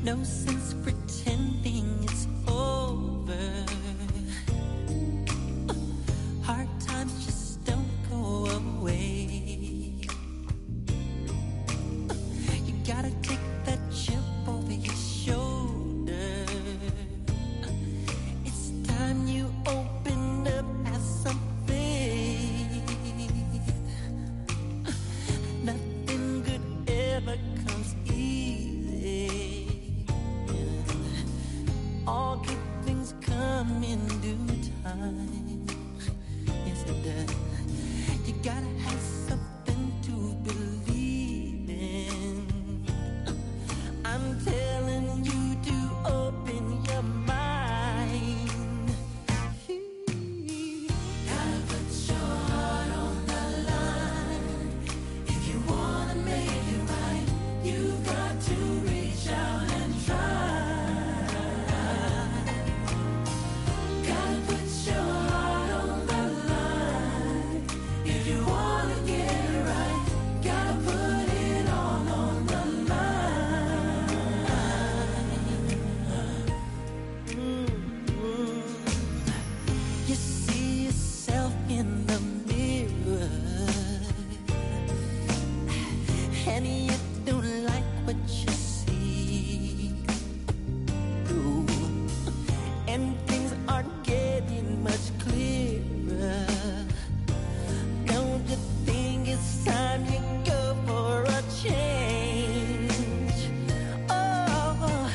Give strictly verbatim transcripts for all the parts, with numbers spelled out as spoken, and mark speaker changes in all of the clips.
Speaker 1: No sense pretending it's over. Hard times just don't go away. You gotta take that chip over your shoulder. It's time you open up, have some faith. Nothing good ever comes easy. All good things come in due time. Yes, it does. You gotta have something to believe in. I'm telling you to open your mind. Gotta put your heart on the line. If you wanna make it right, you've got to reach out and try. Gotta put your heart on the line. If you wanna get it right, gotta put it all on the line. Mm-hmm. You see yourself in the mirror, and you don't like what you see. Ooh. And things aren't getting much clearer. Don't you think it's time you go for a change? Oh,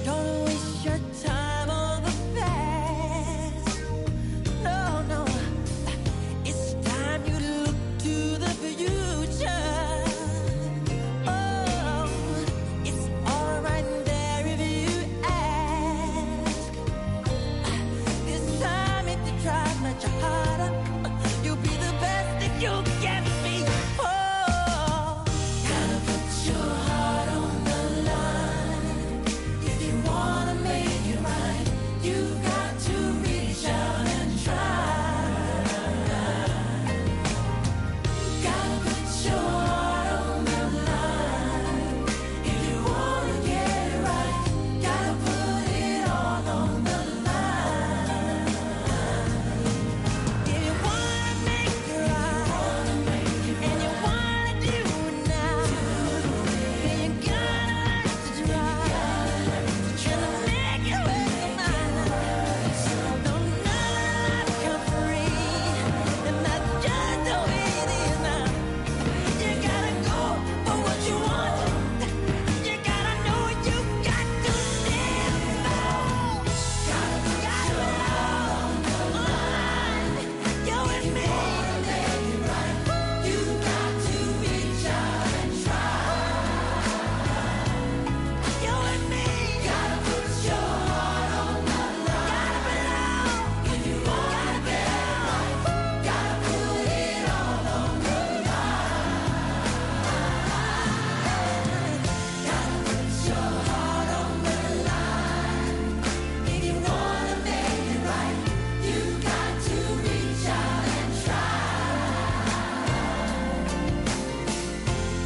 Speaker 1: don't waste your time on the past. No, no, it's time you look to the future. Oh, it's all right there if you ask. This time if you try much harder, you'll be the best that you can be. Oh, gotta put your heart on the line. If you wanna make it right, you've got to reach out and try. Gotta put your heart on the line. If you wanna get it right, gotta put it all on the line. If you wanna make it right, and you wanna do it now, then you gotta learn to try. Tryna make it worth the mind. Don't never come free, and that's just the way it is now. You gotta go for what you want. You gotta know you got to stand alone. Gotta put your heart on the line. You and me. You got to reach out and try. You and me. Gotta put your heart on the line. Gotta belong. If you wanna get it right, gotta put it all on the line. Gotta put your heart on the line. If you wanna make it right, you got to reach out and try.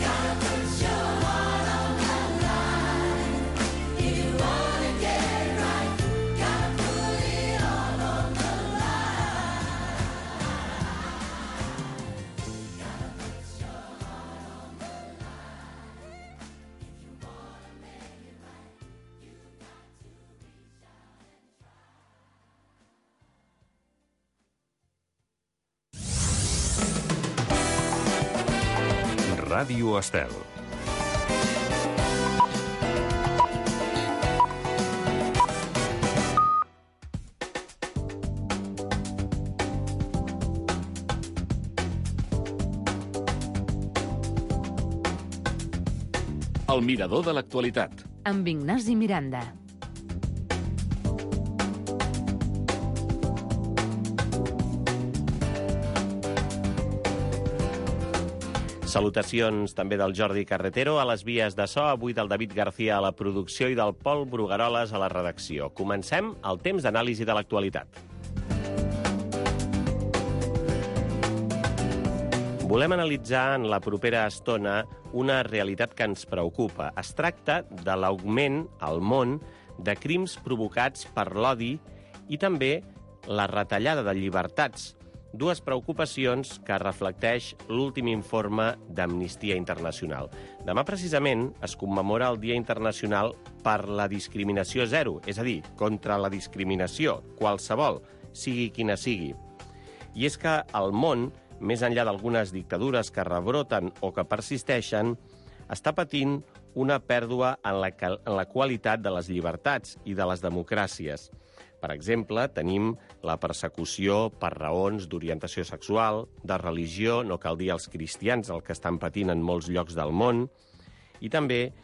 Speaker 1: Gotta put your heart on the line. If you wanna get it right, gotta put it all on the line. Gotta put your heart on the line. If you wanna make it right, you got to reach out and try.
Speaker 2: Ràdio Estel.
Speaker 3: El mirador de l'actualitat.
Speaker 4: Amb Ignasi Miranda.
Speaker 5: Salutacions també del Jordi Carretero a les vies de so, avui del David García a la producció i del Pol Brugueroles a la redacció. Comencem el temps d'anàlisi de l'actualitat. Volem analitzar en la propera estona una realitat que ens preocupa. Es tracta de l'augment al món de crims provocats per l'odi i també la retallada de llibertats, dues preocupacions que reflecteix l'últim informe d'Amnistia Internacional. Demà, precisament, es commemora el Dia Internacional per la Discriminació Zero, és a dir, contra la discriminació, qualsevol, sigui quina sigui. I és que el món, més enllà d'algunes dictadures que rebroten o que persisteixen, està patint una pèrdua en la, en la qualitat de les llibertats i de les democràcies. Per exemple, tenim la persecució per raons d'orientació sexual, de religió, no cal dir els cristians, el que estan patint en molts llocs del món, i també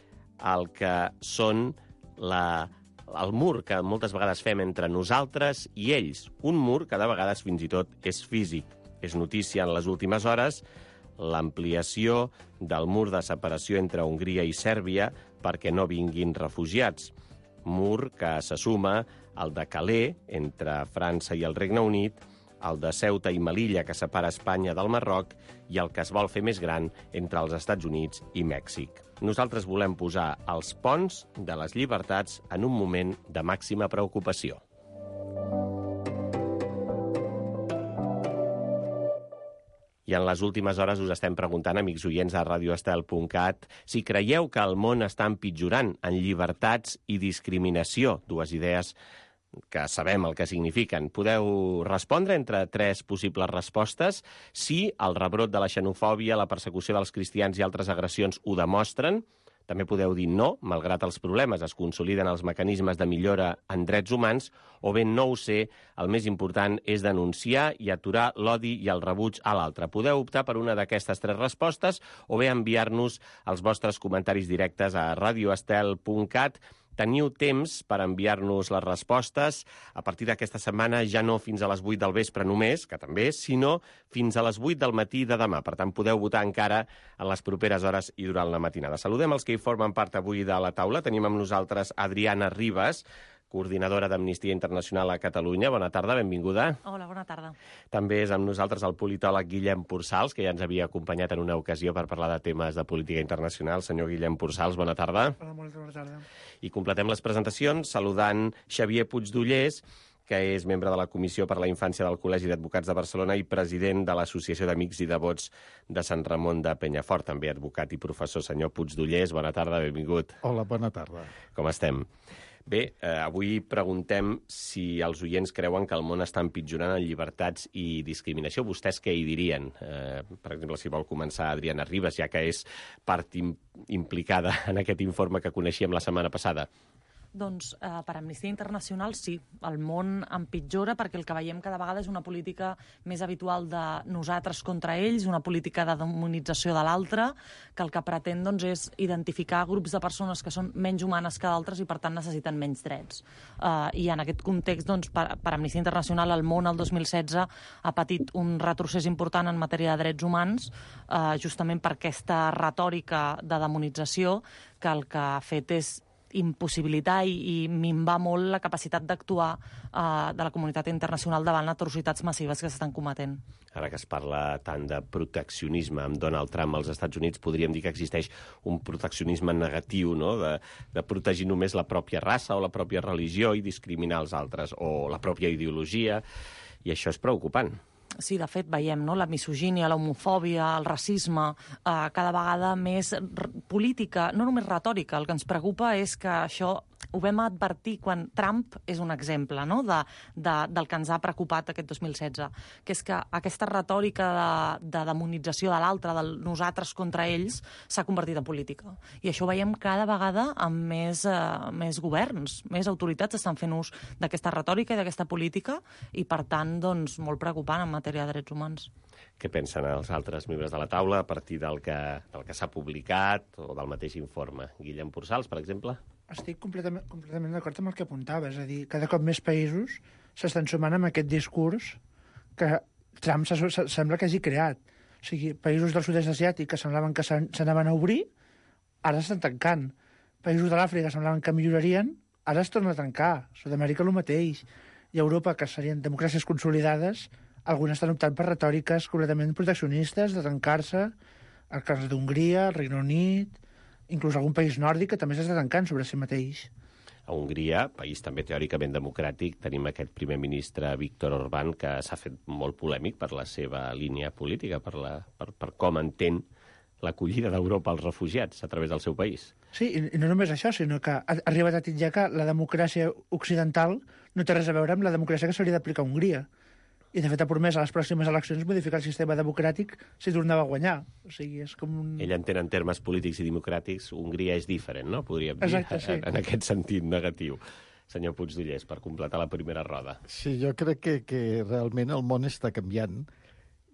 Speaker 5: el que són la, el mur que moltes vegades fem entre nosaltres i ells. Un mur que de vegades fins i tot és físic. És notícia en les últimes hores l'ampliació del mur de separació entre Hongria i Sèrbia perquè no vinguin refugiats. Mur que se suma al de Calais, entre França i el Regne Unit, el de Ceuta i Melilla, que separa Espanya del Marroc, i el que es vol fer més gran entre els Estats Units i Mèxic. Nosaltres volem posar els ponts de les llibertats en un moment de màxima preocupació. I en les últimes hores us estem preguntant, amics oients de radio estel punt cat, si creieu que el món està empitjorant en llibertats i discriminació, dues idees que sabem el que signifiquen. Podeu respondre entre tres possibles respostes. Sí, el rebrot de la xenofòbia, la persecució dels cristians i altres agressions ho demostren. També podeu dir no, malgrat els problemes es consoliden els mecanismes de millora en drets humans, o bé no ho sé, el més important és denunciar i aturar l'odi i el rebuig a l'altre. Podeu optar per una d'aquestes tres respostes o bé enviar-nos els vostres comentaris directes a radio estel punt cat. Teniu temps per enviar-nos les respostes a partir d'aquesta setmana, ja no fins a les vuit del vespre només, que també, sinó fins a les vuit del matí de demà. Per tant, podeu votar encara en les properes hores i durant la matinada. Saludem els que hi formen part avui de la taula. Tenim amb nosaltres Adriana Ribas, coordinadora d'Amnistia Internacional a Catalunya. Bona tarda, benvinguda.
Speaker 2: Hola, bona tarda.
Speaker 5: També és amb nosaltres el politòleg Guillem Pursals, que ja ens havia acompanyat en una ocasió per parlar de temes de política internacional. Senyor Guillem Pursals, bona tarda.
Speaker 6: Hola, molt bona tarda.
Speaker 5: I completem les presentacions saludant Xavier Puigdollers, que és membre de la Comissió per la Infància del Col·legi d'Advocats de Barcelona i president de l'Associació d'Amics i Devots de Sant Ramon de Penyafort, també advocat i professor. Senyor Puigdollers, bona tarda, benvingut.
Speaker 6: Hola, bona tarda.
Speaker 5: Com estem? Bé, eh, avui preguntem si els oients creuen que el món està empitjorant en llibertats i discriminació. Vostès què hi dirien? Eh, per exemple, si vol començar Adriana Ribas, ja que és part im implicada en aquest informe que coneixíem la setmana passada.
Speaker 2: Doncs eh, per Amnistia Internacional sí, el món empitjora perquè el que veiem cada vegada és una política més habitual de nosaltres contra ells, una política de demonització de l'altre, que el que pretén doncs, és identificar grups de persones que són menys humanes que d'altres i per tant necessiten menys drets. Eh, I en aquest context, doncs, per, per Amnistia Internacional, el món el dos mil setze ha patit un retrocés important en matèria de drets humans, eh, justament per aquesta retòrica de demonització que el que ha fet és impossibilitar i, i minvar molt la capacitat d'actuar eh, de la comunitat internacional davant atrocitats massives que s'estan cometent.
Speaker 5: Ara que es parla tant de proteccionisme amb Donald Trump als Estats Units, podríem dir que existeix un proteccionisme negatiu, no? de, de protegir només la pròpia raça o la pròpia religió i discriminar els altres, o la pròpia ideologia, i això és preocupant.
Speaker 2: Sí, de fet, veiem no? la misogínia, l'homofòbia, el racisme, eh, cada vegada més política, no només retòrica. El que ens preocupa és que això ho vam advertir quan Trump és un exemple no? de, de, del que ens ha preocupat aquest dos mil setze, que és que aquesta retòrica de, de demonització de l'altre, del nosaltres contra ells, s'ha convertit en política. I això ho veiem cada vegada amb més, eh, més governs, més autoritats estan fent ús d'aquesta retòrica i d'aquesta política i, per tant, doncs, molt preocupant en matèria de drets humans.
Speaker 5: Què pensen els altres membres de la taula a partir del que, del que s'ha publicat o del mateix informe? Guillem Pursals, per exemple?
Speaker 6: Estic completament, completament d'acord amb el que apuntava. És a dir, cada cop més països s'estan sumant amb aquest discurs que Trump se, se, sembla que hagi creat. O sigui, països del sud-est asiàtic que semblaven que s'anaven a obrir, ara s'estan tancant. Països de l'Àfrica semblaven que millorarien, ara es tornen a tancar. Sud-amèrica el mateix. I Europa, que serien democràcies consolidades, algunes estan optant per retòriques completament proteccionistes, de tancar-se, el cas d'Hongria, el Regne Unit, inclús algun país nòrdic que també s'està tancant sobre si mateix.
Speaker 5: A Hongria, país també teòricament democràtic, tenim aquest primer ministre Viktor Orbán, que s'ha fet molt polèmic per la seva línia política, per, la, per, per com entén l'acollida d'Europa als refugiats a través del seu país.
Speaker 6: Sí, i, i no només això, sinó que ha arribat a titllar que la democràcia occidental no té res a veure amb la democràcia que s'hauria d'aplicar a Hongria. I, de fet, ha promès a les pròximes eleccions modificar el sistema democràtic si tornava a guanyar. O sigui, és com un...
Speaker 5: Ell entén en termes polítics i democràtics, Hongria és diferent, no? Podríem dir,
Speaker 6: Exacte, sí.
Speaker 5: en, en aquest sentit negatiu. Senyor Puigdollers, per completar la primera roda.
Speaker 7: Sí, jo crec que, que realment el món està canviant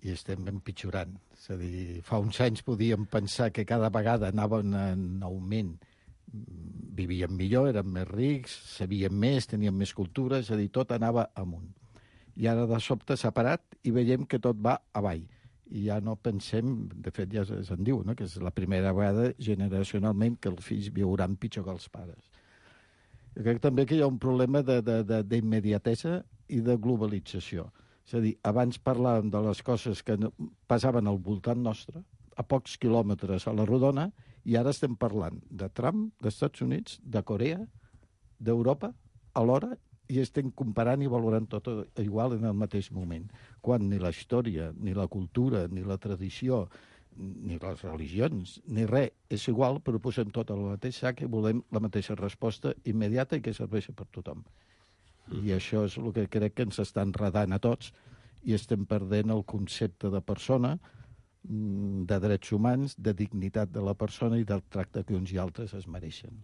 Speaker 7: i estem empitjorant. És a dir, fa uns anys podíem pensar que cada vegada anaven en augment. Vivíem millor, érem més rics, sabíem més, teníem més cultura, és a dir, tot anava amunt. I ara de sobte s'ha parat i veiem que tot va avall. I ja no pensem, de fet ja se'n diu, no? Que és la primera vegada generacionalment que els fills viuran pitjor que els pares. Jo crec també que hi ha un problema d'immediatesa i de globalització. És a dir, abans parlàvem de les coses que passaven al voltant nostre, a pocs quilòmetres a la rodona, i ara estem parlant de Trump, dels Estats Units, de Corea, d'Europa, alhora, i estem comparant i valorant tot igual en el mateix moment, quan ni la història, ni la cultura, ni la tradició, ni les religions, ni res és igual, però posem tot al mateix sac i volem la mateixa resposta immediata i que serveixi per tothom. I això és el que crec que ens està enredant a tots i estem perdent el concepte de persona, de drets humans, de dignitat de la persona i del tracte que uns i altres es mereixen.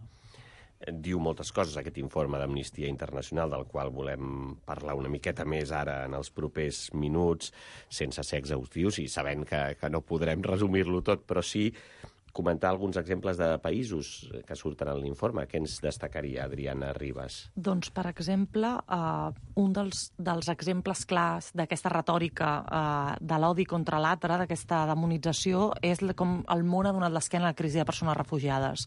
Speaker 5: Diu moltes coses aquest informe d'Amnistia Internacional, del qual volem parlar una miqueta més ara en els propers minuts, sense ser exhaustius i sabent que, que no podrem resumir-lo tot, però sí comentar alguns exemples de països que surten en l'informe. Què ens destacaria, Adriana Ribas?
Speaker 2: Doncs, per exemple, eh, un dels, dels exemples clars d'aquesta retòrica eh, de l'odi contra l'altre, d'aquesta demonització, és com el món ha donat l'esquena a la crisi de persones refugiades.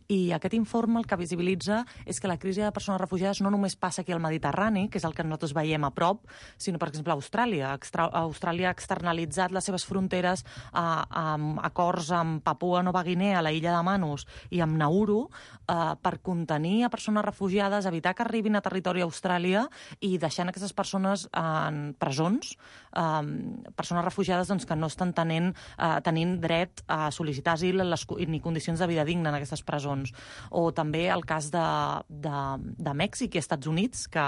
Speaker 2: I aquest informe el que visibilitza és que la crisi de persones refugiades no només passa aquí al Mediterrani, que és el que nosaltres veiem a prop, sinó, per exemple, a Austràlia. Extra Austràlia ha externalitzat les seves fronteres a, a acords amb Papua Nova Guinea, a la illa de Manus i amb Nauru, eh, per contenir a persones refugiades, evitar que arribin a territori Austràlia i deixant aquestes persones en presons, eh, persones refugiades doncs, que no estan tenint, eh, tenint dret a sol·licitar asil les, ni condicions de vida digna en aquestes presons. O també el cas de, de, de Mèxic i Estats Units, que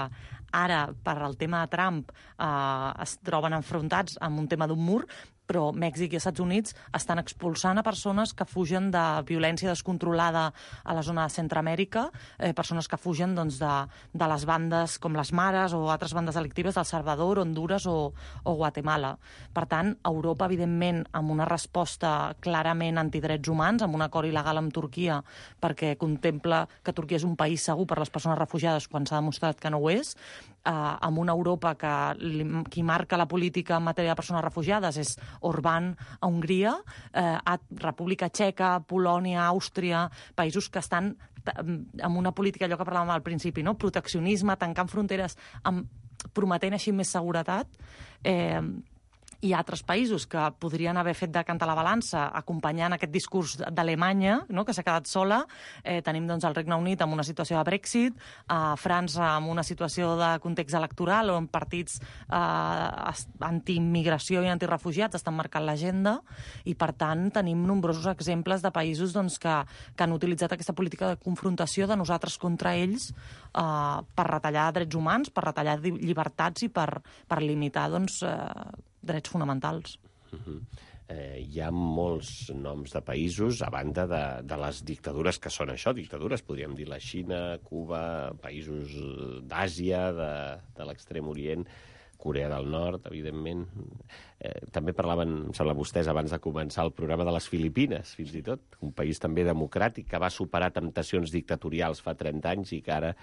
Speaker 2: ara, per al tema de Trump, eh, es troben enfrontats amb un tema d'un mur, però Mèxic i Estats Units estan expulsant a persones que fugen de violència descontrolada a la zona de Centroamèrica, eh, persones que fugen doncs, de, de les bandes com les Mares o altres bandes delictives del Salvador, Honduras o, o Guatemala. Per tant, Europa, evidentment, amb una resposta clarament antidrets humans, amb un acord il·legal amb Turquia, perquè contempla que Turquia és un país segur per a les persones refugiades quan s'ha demostrat que no ho és, eh, amb una Europa que li, qui marca la política en matèria de persones refugiades és Orbán a Hongria, eh, a República Txeca, Polònia, Àustria, països que estan amb una política, allò que parlàvem al principi, no? Proteccionisme, tancant fronteres, amb, prometent així més seguretat. Eh, Hi ha altres països que podrien haver fet de cantar la balança acompanyant aquest discurs d'Alemanya, no?, que s'ha quedat sola. Eh, tenim doncs, el Regne Unit amb una situació de Brexit, a França amb una situació de context electoral on partits eh, antiimmigració i antirefugiats estan marcant l'agenda i, per tant, tenim nombrosos exemples de països doncs, que, que han utilitzat aquesta política de confrontació de nosaltres contra ells eh, per retallar drets humans, per retallar llibertats i per, per limitar doncs, eh, drets fonamentals.
Speaker 5: Uh-huh. eh, hi ha molts noms de països, a banda de, de les dictadures que són això, dictadures, podríem dir la Xina, Cuba, països d'Àsia, de, de l'Extrem Orient, Corea del Nord, evidentment. Eh, també parlaven, em sembla, vostès abans de començar el programa de les Filipines, fins i tot, un país també democràtic que va superar temptacions dictatorials fa trenta anys i que ara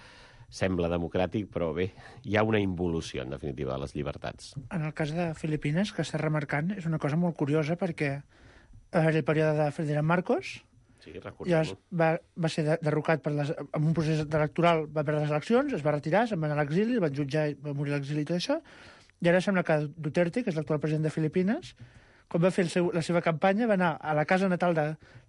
Speaker 5: sembla democràtic, però bé, hi ha una involució, en definitiva, de les llibertats.
Speaker 6: En el cas de Filipines, que està remarcant, és una cosa molt curiosa perquè en el període de Ferdinand Marcos
Speaker 5: sí,
Speaker 6: ja va, va ser derrocat per les, en un procés electoral, va perdre les eleccions, es va retirar, se'n va anar a l'exili, el van jutjar i va morir a l'exili i tot això, I ara sembla que Duterte, que és l'actual president de Filipines, quan va fer el seu, la seva campanya, va anar a la casa natal de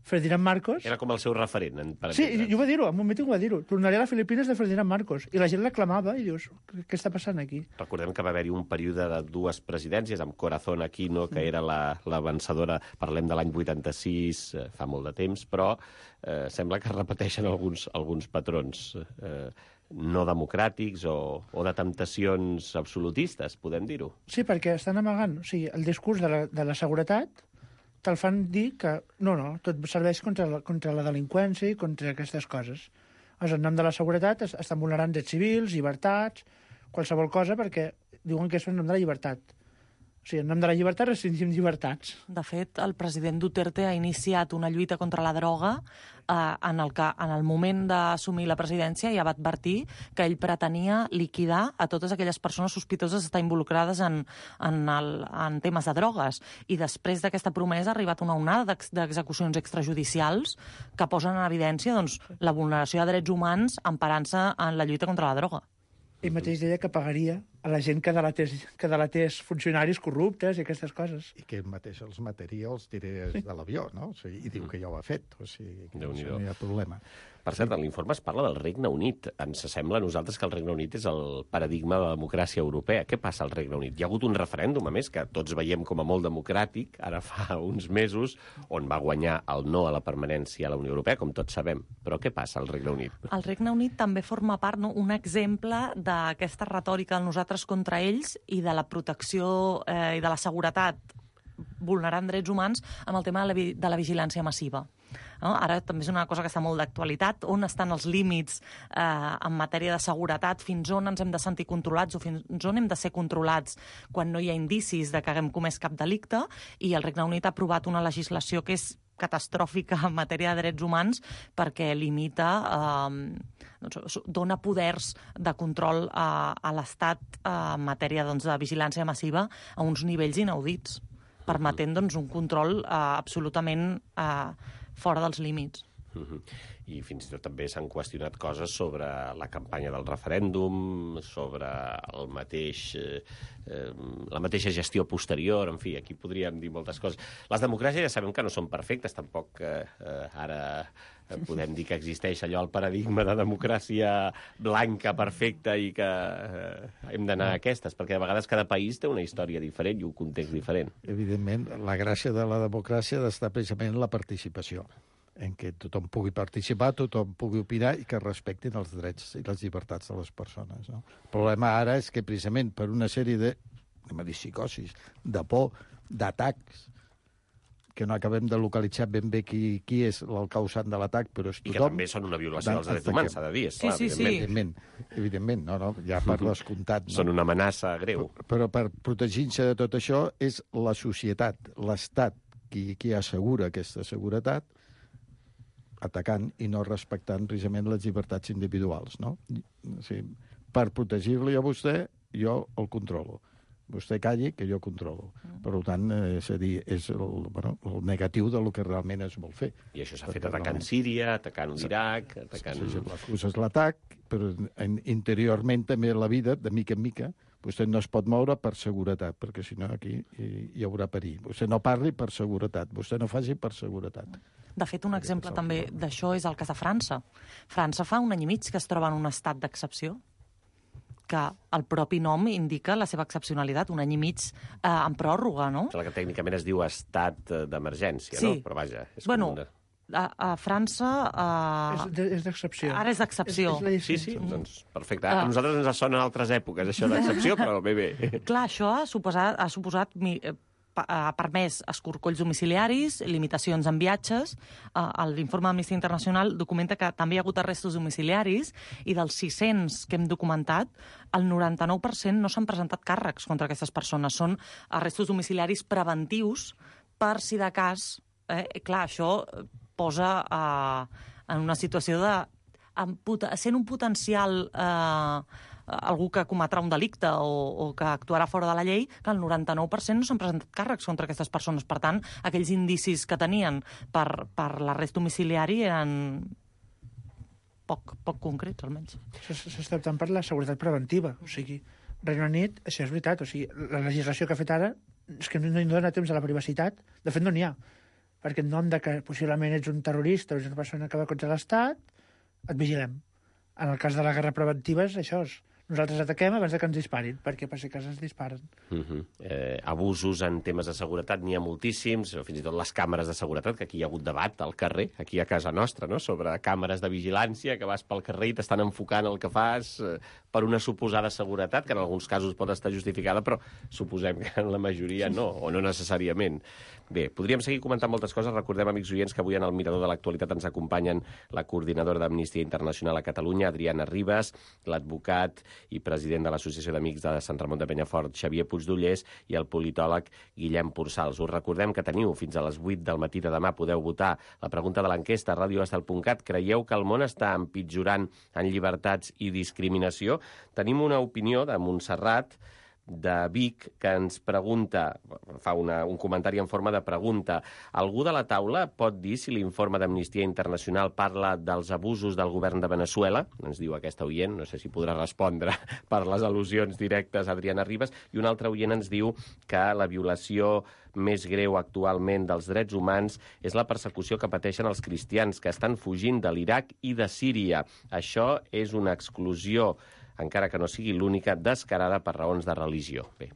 Speaker 6: Ferdinand Marcos.
Speaker 5: Era com el seu referent, en- per
Speaker 6: Sí,
Speaker 5: entendre'ns.
Speaker 6: i ho va dir-ho, en un míting ho va dir-ho. Tornaré a les Filipines de Ferdinand Marcos. I la gent l'aclamava i dius, què està passant aquí?
Speaker 5: Recordem que va haver-hi un període de dues presidències, amb Corazón Aquino, que era la, la vencedora, parlem de l'any vuitanta-sis, eh, fa molt de temps, però eh, sembla que es repeteixen alguns, alguns patrons eh, no democràtics o, o de temptacions absolutistes, podem dir-ho.
Speaker 6: Sí, perquè estan amagant. O sigui, el discurs de la, de la seguretat te'l fan dir que no, no, tot serveix contra la, contra la delinqüència i contra aquestes coses. Llavors, en nom de la seguretat es, estan vulnerant drets civils, llibertats, qualsevol cosa, perquè diuen que és en nom de la llibertat. O sigui, en nom de la llibertat restringim llibertats.
Speaker 2: De fet, el president Duterte ha iniciat una lluita contra la droga eh, en el que, en el moment d'assumir la presidència, ja va advertir que ell pretenia liquidar a totes aquelles persones sospitoses d'estar involucrades en, en, el, en temes de drogues. I després d'aquesta promesa ha arribat una onada d'ex- d'execucions extrajudicials que posen en evidència doncs, la vulneració de drets humans emparant-se en la lluita contra la droga.
Speaker 6: Ell mateix deia que pagaria a la gent que delatés, que delatés funcionaris corruptes i aquestes coses.
Speaker 7: I que ell mateix els mataria els tirés de l'avió, no? O sigui, i diu que ja ho ha fet, o sigui, que
Speaker 5: Déu-n'hi-do.
Speaker 7: això no hi ha problema.
Speaker 5: Per cert, en l'informe es parla del Regne Unit. Ens sembla a nosaltres que el Regne Unit és el paradigma de la democràcia europea. Què passa al Regne Unit? Hi ha hagut un referèndum, a més, que tots veiem com a molt democràtic, ara fa uns mesos, on va guanyar el no a la permanència a la Unió Europea, com tots sabem. Però què passa al Regne Unit?
Speaker 2: El Regne Unit també forma part, no, un exemple d'aquesta retòrica del nosaltres contra ells i de la protecció eh, i de la seguretat vulnerant drets humans amb el tema de la, vi- de la vigilància massiva. No? Ara també és una cosa que està molt d'actualitat. On estan els límits eh, en matèria de seguretat? Fins on ens hem de sentir controlats o fins on hem de ser controlats quan no hi ha indicis de que haguem comès cap delicte? I el Regne Unit ha aprovat una legislació que és catastròfica en matèria de drets humans perquè limita, eh, doncs, dona poders de control a, a l'Estat eh, en matèria doncs, de vigilància massiva a uns nivells inaudits, permetent doncs, un control eh, absolutament eh, fora dels límits.
Speaker 5: Mhm. I fins i tot també s'han qüestionat coses sobre la campanya del referèndum, sobre el mateix, eh, eh, la mateixa gestió posterior, en fi, aquí podríem dir moltes coses. Les democràcies ja sabem que no són perfectes, tampoc eh, eh, ara podem dir que existeix allò, el paradigma de democràcia blanca, perfecta, i que eh, hem d'anar a aquestes, perquè a vegades cada país té una història diferent i un context diferent.
Speaker 7: Evidentment, la gràcia de la democràcia ha d'estar precisament en la participació, en què tothom pugui participar, tothom pugui opinar i que respectin els drets i les llibertats de les persones. No? El problema ara és que precisament per una sèrie de, anem a dir, psicosis, de por, d'atacs, que no acabem de localitzar ben bé qui, qui és el causant de l'atac, però és
Speaker 5: I que
Speaker 7: tothom...
Speaker 5: també són una violació dels
Speaker 7: Dan-
Speaker 5: drets humans, s'ha de dir, esclar,
Speaker 2: Sí, sí, sí.
Speaker 5: evidentment.
Speaker 7: Evidentment, evidentment, no, no, ja per descomptat. No?
Speaker 5: Són una amenaça greu.
Speaker 7: Però per protegir-se de tot això és la societat, l'Estat, qui, qui assegura aquesta seguretat, atacant i no respectant precisament les llibertats individuals, no? O sigui, per protegir-li a vostè, jo el controlo. Vostè calli, que jo controlo. Per tant, eh, és a dir, és el, bueno, el negatiu del que realment es vol fer.
Speaker 5: I això s'ha fet atacant Síria, atacant l'Iraq, atacant...
Speaker 7: Sí, l'excusa és l'atac, però en, interiorment també la vida, de mica en mica, vostè no es pot moure per seguretat, perquè si no aquí hi, hi haurà perill. Vostè no parli per seguretat, vostè no faci per seguretat.
Speaker 2: De fet, un exemple també d'això és el cas de França. França fa un any i mig que es troba en un estat d'excepció, que el propi nom indica la seva excepcionalitat, un any i mig eh, en pròrroga, no?
Speaker 5: Sembla que tècnicament es diu estat eh, d'emergència,
Speaker 2: Sí.
Speaker 5: no? Però vaja, és
Speaker 2: Bueno,
Speaker 5: com una...
Speaker 2: a, a França...
Speaker 6: És,
Speaker 2: Eh,
Speaker 6: de- és d'excepció.
Speaker 2: Ara és d'excepció.
Speaker 6: És, és la
Speaker 5: Sí,
Speaker 6: llicència.
Speaker 5: sí, doncs perfecte. A nosaltres ens sonen altres èpoques, això d'excepció, però bé, bé.
Speaker 2: Clar, això ha suposat, ha suposat mi- eh, pa- ha permès escorcolls domiciliaris, limitacions en viatges. Eh, L'informe d'Amnistia Internacional documenta que també hi ha hagut arrestos domiciliaris i dels sis-cents que hem documentat, el noranta-nou per cent no s'han presentat càrrecs contra aquestes persones. Són arrestos domiciliaris preventius per si de cas... Eh, clar, això posa eh, en una situació de... en pot- sent un potencial... Eh, algú que cometrà un delicte o, o que actuarà fora de la llei, que el noranta-nou per cent no s'han presentat càrrecs contra aquestes persones. Per tant, aquells indicis que tenien per, per l'arrest domiciliari eren poc, poc concrets, almenys.
Speaker 6: S'està optant per la seguretat preventiva, o sigui, Regne Unit, això és veritat, o sigui, la legislació que ha fet ara és que no, no dona temps a la privacitat. De fet, no n'hi ha. Perquè en nom de que possiblement ets un terrorista o ets una persona que va contra l'Estat, et vigilem. En el cas de la guerra preventiva és això. Nosaltres ataquem abans de que ens disparin, perquè per si cas ens disparen.
Speaker 5: Uh -huh. eh, abusos en temes de seguretat n'hi ha moltíssims, o fins i tot les càmeres de seguretat, que aquí hi ha hagut debat al carrer, aquí a casa nostra, no?, sobre càmeres de vigilància, que vas pel carrer i t'estan enfocant el que fas eh, per una suposada seguretat, que en alguns casos pot estar justificada, però suposem que en la majoria no, o no necessàriament. Bé, podríem seguir comentant moltes coses. Recordem, amics oients, que avui en el Mirador de l'Actualitat ens acompanyen la coordinadora d'Amnistia Internacional a Catalunya, Adriana Ribas, l'advocat i president de l'Associació d'Amics de Sant Ramon de Penyafort, Xavier Puigdollers, i el politòleg Guillem Pursals. Us recordem que teniu fins a les vuit del matí de demà, podeu votar la pregunta de l'enquesta a radio estel punt cat. Creieu que el món està empitjorant en llibertats i discriminació? Tenim una opinió de Montserrat, de Vic, que ens pregunta, fa una, un comentari en forma de pregunta. Algú de la taula pot dir si l'informe d'Amnistia Internacional parla dels abusos del govern de Veneçuela? Ens diu aquesta oient, no sé si podrà respondre per les al·lusions directes a Adriana Ribas. I un altre oient ens diu que la violació més greu actualment dels drets humans és la persecució que pateixen els cristians que estan fugint de l'Iraq i de Síria. Això és una exclusió, encara que no sigui l'única, descarada per raons de religió. Bé,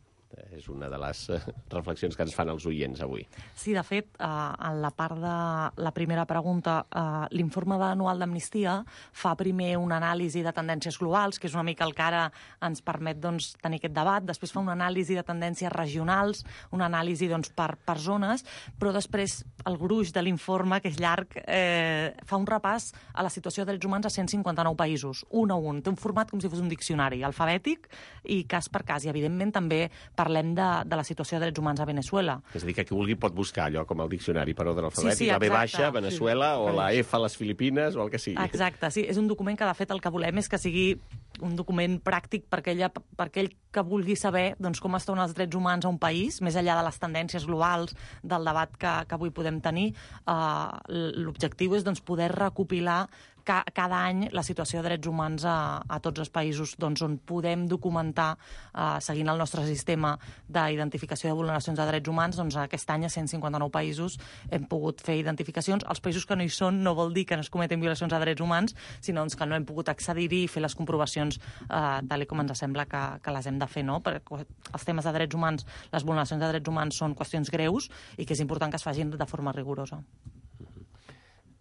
Speaker 5: és una de les reflexions que ens fan els oients avui.
Speaker 2: Sí, de fet, eh, en la part de la primera pregunta, eh, l'informe anual d'Amnistia fa primer una anàlisi de tendències globals, que és una mica el que ara ens permet doncs, tenir aquest debat, després fa una anàlisi de tendències regionals, una anàlisi doncs, per, per zones, però després el gruix de l'informe, que és llarg, eh, fa un repàs a la situació de drets humans a cent cinquanta-nou països, un a un. Té un format com si fos un diccionari, alfabètic i cas per cas, i evidentment també parlem de, de la situació de drets humans a Veneçuela.
Speaker 5: És a dir, que qui vulgui pot buscar allò com el diccionari per ordre alfabètic,
Speaker 2: sí, sí,
Speaker 5: la B baixa, Veneçuela,
Speaker 6: sí.
Speaker 5: o la F a les Filipines, o el que sigui.
Speaker 2: Exacte, sí. És un document que, de fet, el que volem és que sigui un document pràctic per aquella, per aquell que vulgui saber doncs, com estan els drets humans a un país, més enllà de les tendències globals del debat que, que avui podem tenir. Uh, l'objectiu és doncs, poder recopilar ca, cada any la situació de drets humans a, a tots els països doncs, on podem documentar, uh, seguint el nostre sistema d'identificació de vulneracions de drets humans, doncs aquest any a cent cinquanta-nou països hem pogut fer identificacions. Els països que no hi són no vol dir que no es cometen violacions de drets humans, sinó doncs, que no hem pogut accedir-hi i fer les comprovacions uh, tal com ens sembla que, que les hem de fer, no? Perquè els temes de drets humans, les vulneracions de drets humans són qüestions greus i que és important que es facin de forma rigorosa.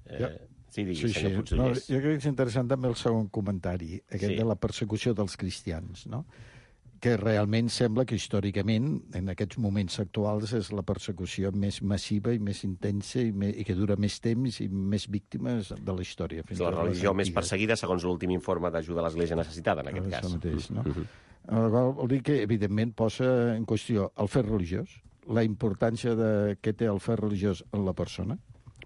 Speaker 5: Eh, sí, digui,
Speaker 7: Sí, sí.
Speaker 5: senyor
Speaker 7: No,
Speaker 5: Puigdollers.
Speaker 7: jo crec que és interessant també el segon comentari, aquest
Speaker 5: Sí.
Speaker 7: de la persecució dels cristians, no? Que realment sembla que històricament, en aquests moments actuals, és la persecució més massiva i més intensa i, me, i que dura més temps i més víctimes de la història.
Speaker 5: És la religió més perseguida, segons l'últim informe d'ajuda a l'Església necessitada, en aquest
Speaker 7: Això
Speaker 5: cas.
Speaker 7: mateix, no?
Speaker 5: Uh -huh.
Speaker 7: El qual vol dir que, evidentment, posa en qüestió el fet religiós, la importància de què té el fet religiós en la persona,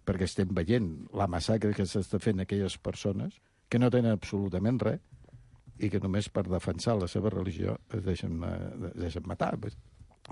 Speaker 7: perquè estem veient la massacre que s'està fent a aquelles persones que no tenen absolutament res i que només per defensar la seva religió es deixen, es deixen matar.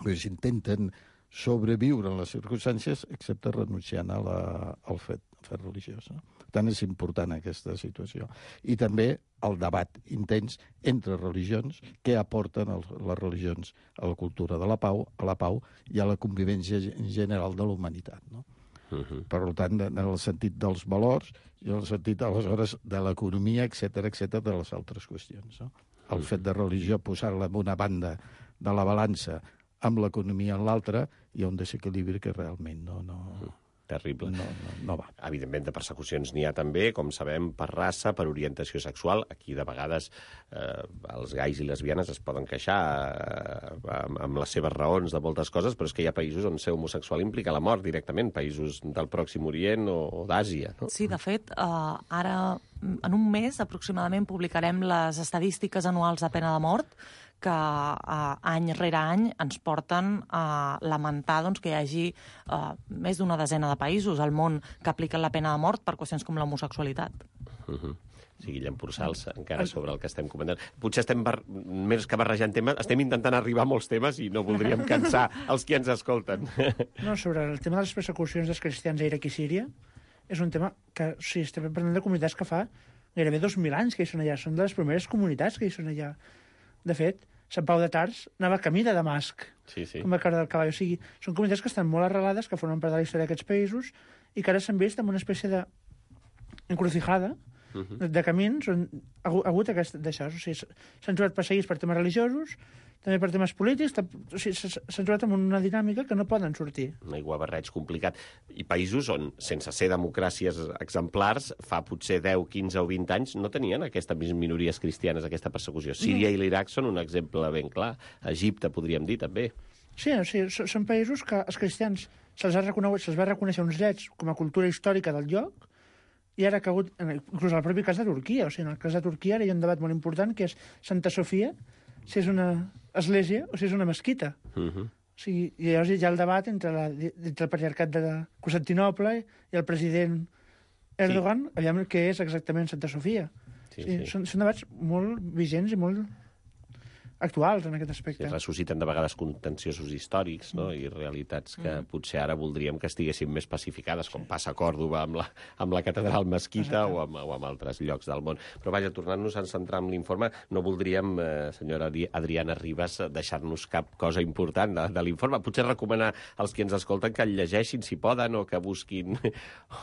Speaker 7: Pues intenten sobreviure en les circumstàncies excepte renunciant a la, al fet, al fet religiós. No? Per tant, és important aquesta situació. I també el debat intens entre religions, què aporten el, les religions a la cultura de la pau, a la pau i a la convivència general de la humanitat. No? Uh -huh. Per tant, en el sentit dels valors i en el sentit, aleshores, de l'economia, etcètera, etcètera, de les altres qüestions. No? El fet de religió, posar-la en una banda de la balança amb l'economia en l'altra, hi ha un desequilibri que realment no... no
Speaker 5: Terrible.
Speaker 7: No, no, no va.
Speaker 5: Evidentment, de persecucions n'hi ha també, com sabem, per raça, per orientació sexual. Aquí, de vegades, eh, els gais i lesbianes es poden queixar eh, amb, amb les seves raons de moltes coses, però és que hi ha països on ser homosexual implica la mort directament, països del Pròxim Orient o, o d'Àsia. No?
Speaker 2: Sí, de fet, eh, ara, en un mes, aproximadament, publicarem les estadístiques anuals de pena de mort, que eh, any rere any ens porten a lamentar doncs, que hi hagi eh, més d'una desena de països al món que apliquen la pena de mort per qüestions com l'homosexualitat.
Speaker 5: Uh -huh. Sí, Guillem Pursals, encara sobre el que estem comentant. Potser estem, bar... més que barrejant temes, estem intentant arribar a molts temes i no voldríem cansar els qui ens escolten.
Speaker 6: No, sobre el tema de les persecucions dels cristians a Iraq i Síria, és un tema que, sí, estem parlant de comunitats que fa gairebé dos mil anys que hi són allà. Són de les primeres comunitats que hi són allà. De fet, Sant Pau de Tars anava camí de Damasc,
Speaker 5: Sí, sí.
Speaker 6: com a cara del cavall. O sigui, són comunitats que estan molt arrelades, que formen part de la història d'aquests països, i que ara s'han vist en una espècie de encrucijada, uh -huh. de, de camins on ha hagut aquest, d'això. O sigui, s'han trobat perseguits per temes religiosos, també per temes polítics, o sigui, s'han trobat en una dinàmica que no poden sortir.
Speaker 5: Un aiguabarreig complicat. I països on, sense ser democràcies exemplars, fa potser deu, quinze o vint anys, no tenien aquestes minories cristianes, aquesta persecució. Síria i l'Iraq són un exemple ben clar. Egipte, podríem dir, també.
Speaker 6: Sí, o sigui, són països que els cristians se'ls ha reconegut, se'ls va reconèixer uns drets com a cultura històrica del lloc, i ara ha cagut, inclús en el propi cas de Turquia, o sigui, en el cas de Turquia ara hi ha un debat molt important, que és Santa Sofia, si és una església o si és una mesquita. Uh -huh. O sigui, i llavors hi ha el debat entre, la, entre el patriarcat de Constantinople i el president Erdogan, sí. Aviam què és exactament Santa Sofia.
Speaker 5: Sí,
Speaker 6: o sigui,
Speaker 5: sí.
Speaker 6: Són, són debats molt vigents i molt actuals en aquest aspecte.
Speaker 5: Sí, ressusciten de vegades contenciosos històrics, no? I realitats que mm. potser ara voldríem que estiguessin més pacificades, com passa a Còrdova amb la, amb la catedral mesquita o amb, o amb altres llocs del món. Però vaja, tornant-nos a centrar en l'informe, no voldríem, eh, senyora Adriana Ribas, deixar-nos cap cosa important de, de l'informe. Potser recomanar als qui ens escolten que el llegeixin, si poden, o que busquin...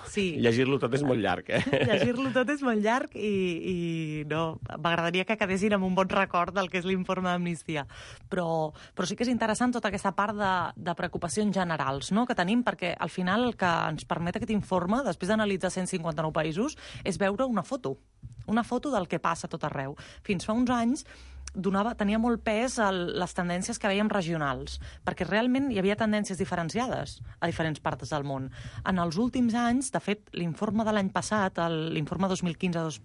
Speaker 2: Sí.
Speaker 5: Llegir-lo tot és molt llarg, eh?
Speaker 2: Llegir-lo tot és molt llarg i, i no, m'agradaria que quedessin amb un bon record del que és l'informe d'Amnistia. Però, però sí que és interessant tota aquesta part de, de preocupacions generals, no?, que tenim, perquè al final el que ens permet aquest informe, després d'analitzar cent cinquanta-nou països, és veure una foto, una foto del que passa a tot arreu. Fins fa uns anys donava, tenia molt pes el, les tendències que veiem regionals, perquè realment hi havia tendències diferenciades a diferents parts del món. En els últims anys, de fet, l'informe de l'any passat, l'informe dos mil quinze dos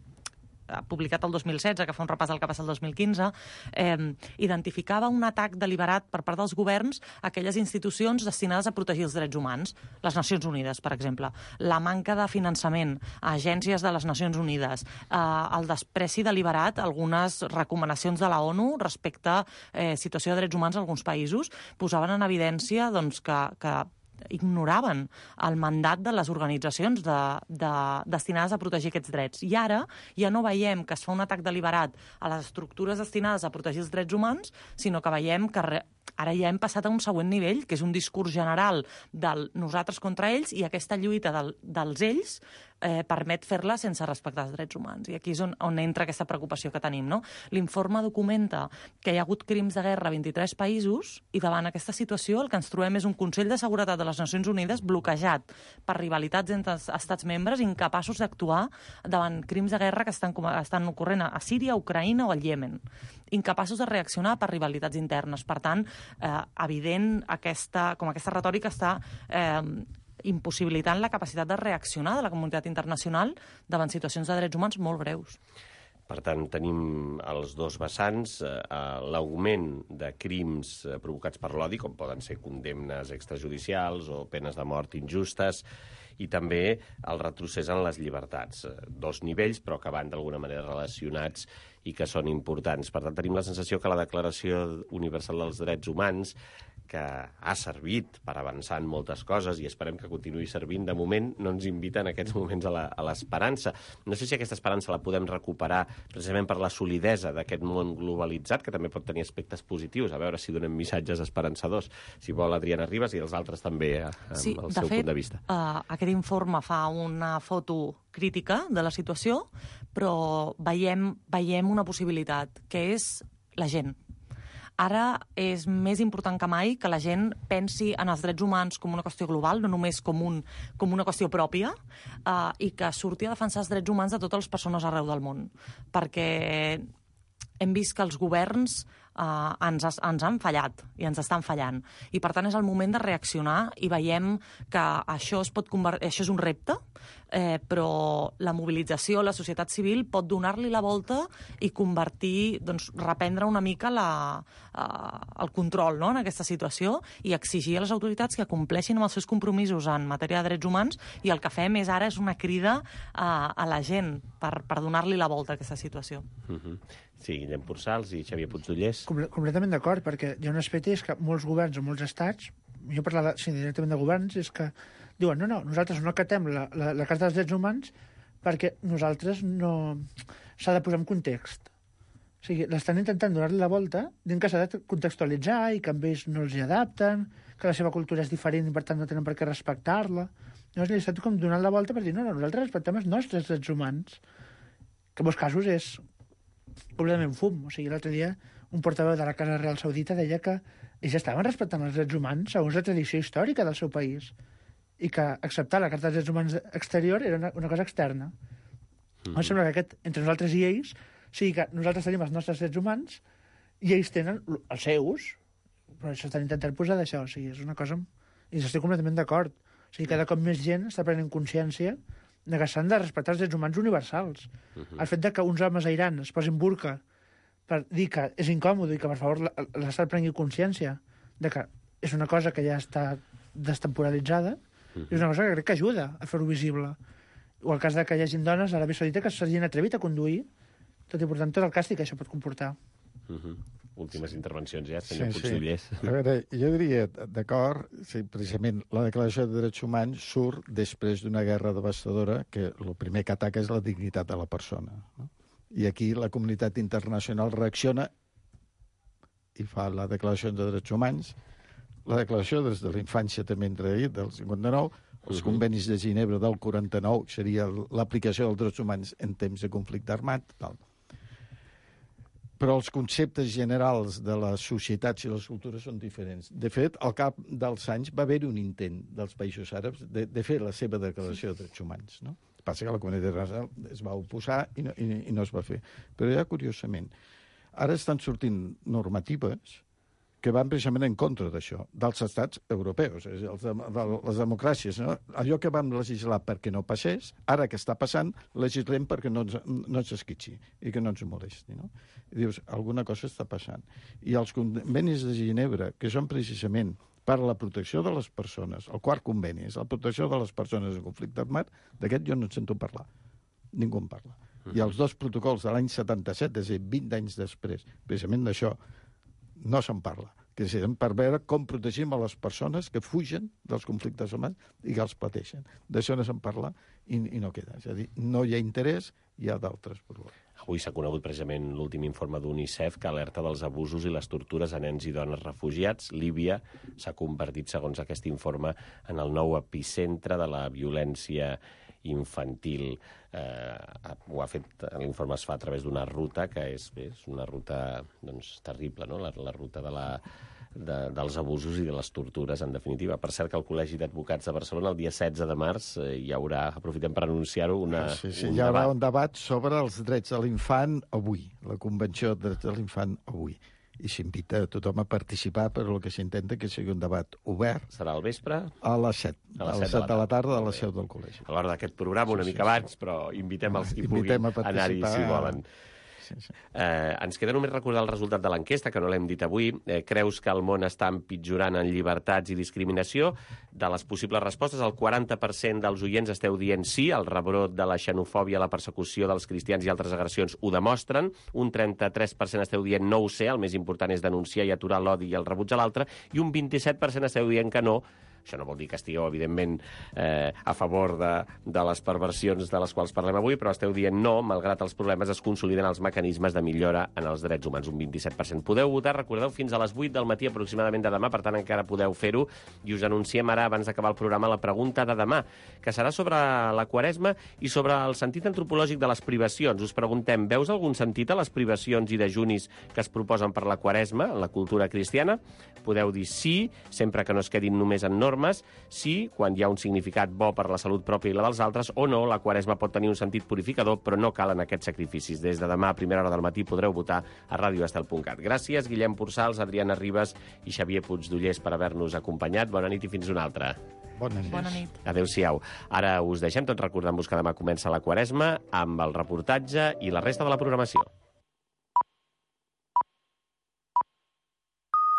Speaker 2: publicat el dos mil setze, que fa un repàs del que passa el dos mil quinze, eh, identificava un atac deliberat per part dels governs a aquelles institucions destinades a protegir els drets humans. Les Nacions Unides, per exemple. La manca de finançament a agències de les Nacions Unides. Eh, el despreci deliberat a algunes recomanacions de la ONU respecte a eh, situació de drets humans a alguns països posaven en evidència doncs, que, que ignoraven el mandat de les organitzacions de, de, destinades a protegir aquests drets. I ara ja no veiem que es fa un atac deliberat a les estructures destinades a protegir els drets humans, sinó que veiem que re, ara ja hem passat a un següent nivell, que és un discurs general del nosaltres contra ells, i aquesta lluita del, dels ells eh, permet fer-la sense respectar els drets humans. I aquí és on, on entra aquesta preocupació que tenim, no? L'informe documenta que hi ha hagut crims de guerra a vint-i-tres països, i davant aquesta situació el que ens trobem és un Consell de Seguretat de les Nacions Unides bloquejat per rivalitats entre els estats membres, incapaços d'actuar davant crims de guerra que estan, estan ocorrent a Síria, a Ucraïna o al Iemen. Incapaços de reaccionar per rivalitats internes. Per tant, eh, evident aquesta, com aquesta retòrica està eh, impossibilitant la capacitat de reaccionar de la comunitat internacional davant situacions de drets humans molt greus.
Speaker 5: Per tant, tenim els dos vessants, eh, l'augment de crims eh, provocats per l'odi, com poden ser condemnes extrajudicials o penes de mort injustes, i també el retrocés en les llibertats. Dos nivells, però que van d'alguna manera relacionats i que són importants. Per tant, tenim la sensació que la Declaració Universal dels Drets Humans, que ha servit per avançar en moltes coses i esperem que continuï servint, de moment no ens invita en aquests moments a l'esperança. No sé si aquesta esperança la podem recuperar precisament per la solidesa d'aquest món globalitzat, que també pot tenir aspectes positius, a veure si donem missatges esperançadors, si vol Adriana Ribas, i els altres també, amb
Speaker 2: sí,
Speaker 5: el seu
Speaker 2: fet,
Speaker 5: punt de vista.
Speaker 2: Uh, aquest informe fa una foto crítica de la situació, però veiem, veiem una possibilitat, que és la gent. Ara és més important que mai que la gent pensi en els drets humans com una qüestió global, no només com, un, com una qüestió pròpia, eh, i que surti a defensar els drets humans de totes les persones arreu del món. Perquè hem vist que els governs Uh, ens, ens han fallat i ens estan fallant. I, per tant, és el moment de reaccionar i veiem que això, es pot convertir, això és un repte, eh, però la mobilització, la societat civil pot donar-li la volta i convertir, doncs, reprendre una mica la, uh, el control, no?, en aquesta situació, i exigir a les autoritats que compleixin amb els seus compromisos en matèria de drets humans, i el que fem és ara és una crida a, a la gent per, per donar-li la volta a aquesta situació.
Speaker 5: Uh-huh. Sí, Guillem Pursals i Xavier Puigdollers.
Speaker 6: Completament d'acord, perquè hi ha un aspecte és que molts governs o molts estats, jo parlo sí, directament de governs, és que diuen, no, no, nosaltres no acatem la, la, la Carta dels Drets Humans perquè nosaltres no... s'ha de posar en context. O sigui, l'estan intentant donar-li la volta, dient que s'ha de contextualitzar i que amb ells no els hi adapten, que la seva cultura és diferent i per tant no tenen per què respectar-la. Llavors li estan com donant la volta per dir no, no, nosaltres respectem els nostres drets humans, que en molts casos és completament fum. O sigui, l'altre dia un portaveu de la Casa Real Saudita deia que ells estaven respectant els drets humans segons la tradició històrica del seu país i que acceptar la Carta dels Drets Humans exterior era una, una cosa externa. Mm-hmm. Em sembla que aquest, entre nosaltres i ells, sigui que nosaltres tenim els nostres drets humans i ells tenen els seus, però s'estan intentant posar d'això. O sigui, és una cosa... I estic completament d'acord. O sigui, cada cop més gent està prenent consciència de que s'han de respectar els drets humans universals. Uh-huh. El fet de que uns homes a Iran es posin burca per dir que és incòmode i que, per favor, l'Estat prengui consciència de que és una cosa que ja està destemporalitzada, uh-huh. és una cosa que crec que ajuda a fer-ho visible. O el cas de que hi hagi dones a l'Aràbia Saudita que s'hagin atrevit a conduir, tot i portant tot el càstig que això pot comportar.
Speaker 5: Uh-huh. Últimes intervencions ja, senyor
Speaker 7: sí,
Speaker 5: Puigdollers.
Speaker 7: Sí. A veure, jo diria, d'acord, sí, precisament la Declaració de Drets Humans surt després d'una guerra devastadora que el primer que ataca és la dignitat de la persona. No? I aquí la comunitat internacional reacciona i fa la Declaració de Drets Humans, la Declaració des de la infància també entre ahir, del cinquanta-nou, els uh-huh. convenis de Ginebra del quaranta-nou, seria l'aplicació dels drets humans en temps de conflicte armat, tal. Però els conceptes generals de les societats i les cultures són diferents. De fet, al cap dels anys va haver un intent dels països àrabs de, de fer la seva declaració de drets humans. No? Passa que la comunitat internacional es va oposar i no, i, i no es va fer. Però ja, curiosament, ara estan sortint normatives que van precisament en contra d'això, dels estats europeus, és a dir, els de, de, les democràcies. No? Allò que vam legislar perquè no passés, ara que està passant, legislem perquè no ens, no ens esquitxi i que no ens molesti. No? I dius, alguna cosa està passant. I els convenis de Ginebra, que són precisament per a la protecció de les persones, el quart conveni és la protecció de les persones en conflicte armat, d'aquest jo no en sento parlar. Ningú en parla. Uh-huh. I els dos protocols de l'any setanta-set, és a dir, vint anys després, precisament d'això, no se'n parla, que és per veure com protegim a les persones que fugen dels conflictes humans i que els pateixen. D'això no se'n parla i, i no queda. És a dir, no hi ha interès, hi ha d'altres problemes.
Speaker 5: Avui s'ha conegut precisament l'últim informe d'UNICEF que alerta dels abusos i les tortures a nens i dones refugiats. Líbia s'ha convertit, segons aquest informe, en el nou epicentre de la violència infantil. Eh, ho ha fet, l'informe es fa a través d'una ruta que és, bé, és una ruta doncs, terrible, no? la, la ruta de la, de, dels abusos i de les tortures, en definitiva. Per cert, que el Col·legi d'Advocats de Barcelona, el dia setze de març, eh, hi haurà, aprofitem per anunciar-ho, una,
Speaker 7: sí, sí,
Speaker 5: un
Speaker 7: hi haurà
Speaker 5: debat.
Speaker 7: un debat sobre els drets de l'infant avui, la Convenció de Drets de l'Infant avui. I s'invita a tothom a participar, però el que s'intenta que sigui un debat obert.
Speaker 5: Serà al vespre?
Speaker 7: A les set, a les set de la tarda a la seu del col·legi.
Speaker 5: A l'hora d'aquest programa, una
Speaker 7: sí,
Speaker 5: mica
Speaker 7: sí,
Speaker 5: abans, però invitem els qui
Speaker 7: invitem
Speaker 5: puguin anar-hi si volen.
Speaker 7: Sí, sí.
Speaker 5: Eh, ens queda només recordar el resultat de l'enquesta, que no l'hem dit avui. Eh, creus que el món està empitjorant en llibertats i discriminació? De les possibles respostes, el quaranta per cent dels oients esteu dient sí, el rebrot de la xenofòbia, la persecució dels cristians i altres agressions ho demostren. Un trenta-tres per cent esteu dient no ho sé, el més important és denunciar i aturar l'odi i el rebuig a l'altre, i un vint-i-set per cent esteu dient que no. Això no vol dir que estigueu, evidentment, eh, a favor de, de les perversions de les quals parlem avui, però esteu dient no, malgrat els problemes es consoliden els mecanismes de millora en els drets humans, un vint-i-set per cent. Podeu votar, recordeu, fins a les vuit del matí aproximadament de demà, per tant encara podeu fer-ho, i us anunciem ara, abans d'acabar el programa, la pregunta de demà, que serà sobre la Quaresma i sobre el sentit antropològic de les privacions. Us preguntem, veus algun sentit a les privacions i dejunis que es proposen per la Quaresma en la cultura cristiana? Podeu dir sí, sempre que no es quedin només en normes, sí, quan hi ha un significat bo per la salut pròpia i la dels altres, o no, la Quaresma pot tenir un sentit purificador, però no calen aquests sacrificis. Des de demà a primera hora del matí podreu votar a radio estel punt cat. Gràcies, Guillem Porçals, Adriana Ribas i Xavier Puigdollers, per haver-nos acompanyat. Bona nit i fins una altra.
Speaker 7: Bona nit.
Speaker 2: Bona nit.
Speaker 5: Adéu-siau. Ara us deixem, tot recordant-vos que demà comença la Quaresma amb el reportatge i la resta de la programació.